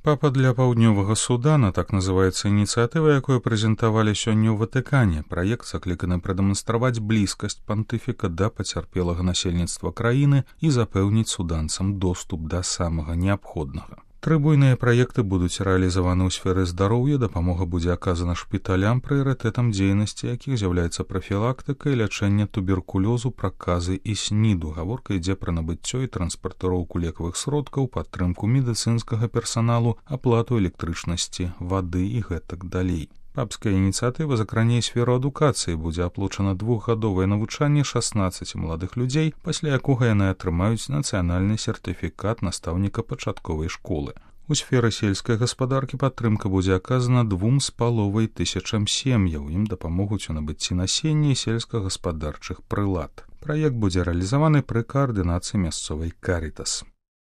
Папа для паўднёвага Судана, так называецца ініцыятыва, якую прэзентавалі сёння ў Ватыкане. Праект закліканы прадэманстраваць блізкасць пантыфіка да пацярпелага насельніцтва краіны і запэўніць суданцам доступ да самага неабходнага. 3 буйныя праекты будуць рэалізаваны ў сферы здароўя, дапамога будзе аказана шпіталям, прыярытэтам дзейнасці якіх з'яўляецца прафілактыка і лячэнне туберкулёзу, праказы і СНІДу. Гаворка ідзе пра набыццё і транспартыроўку лекавых сродкаў, падтрымку медыцынскага персаналу, аплату электрычнасці, вады і гэтак далей. Папская ініцыятыва закране сферу адукацыі, будзе аплачана 2-гадовае навучанне 16 маладых людзей, пасля якога яны атрымаюць нацыянальны сертыфікат настаўніка пачатковай школы. У сферы сельскай гаспадаркі падтрымка будзе аказана 2500 сем'яў, ім дапамогуць у набыцці насення і сельскагаспадарчых прылад. Праект будзе рэалізаваны пры каардынацыі мясцовай Карітас.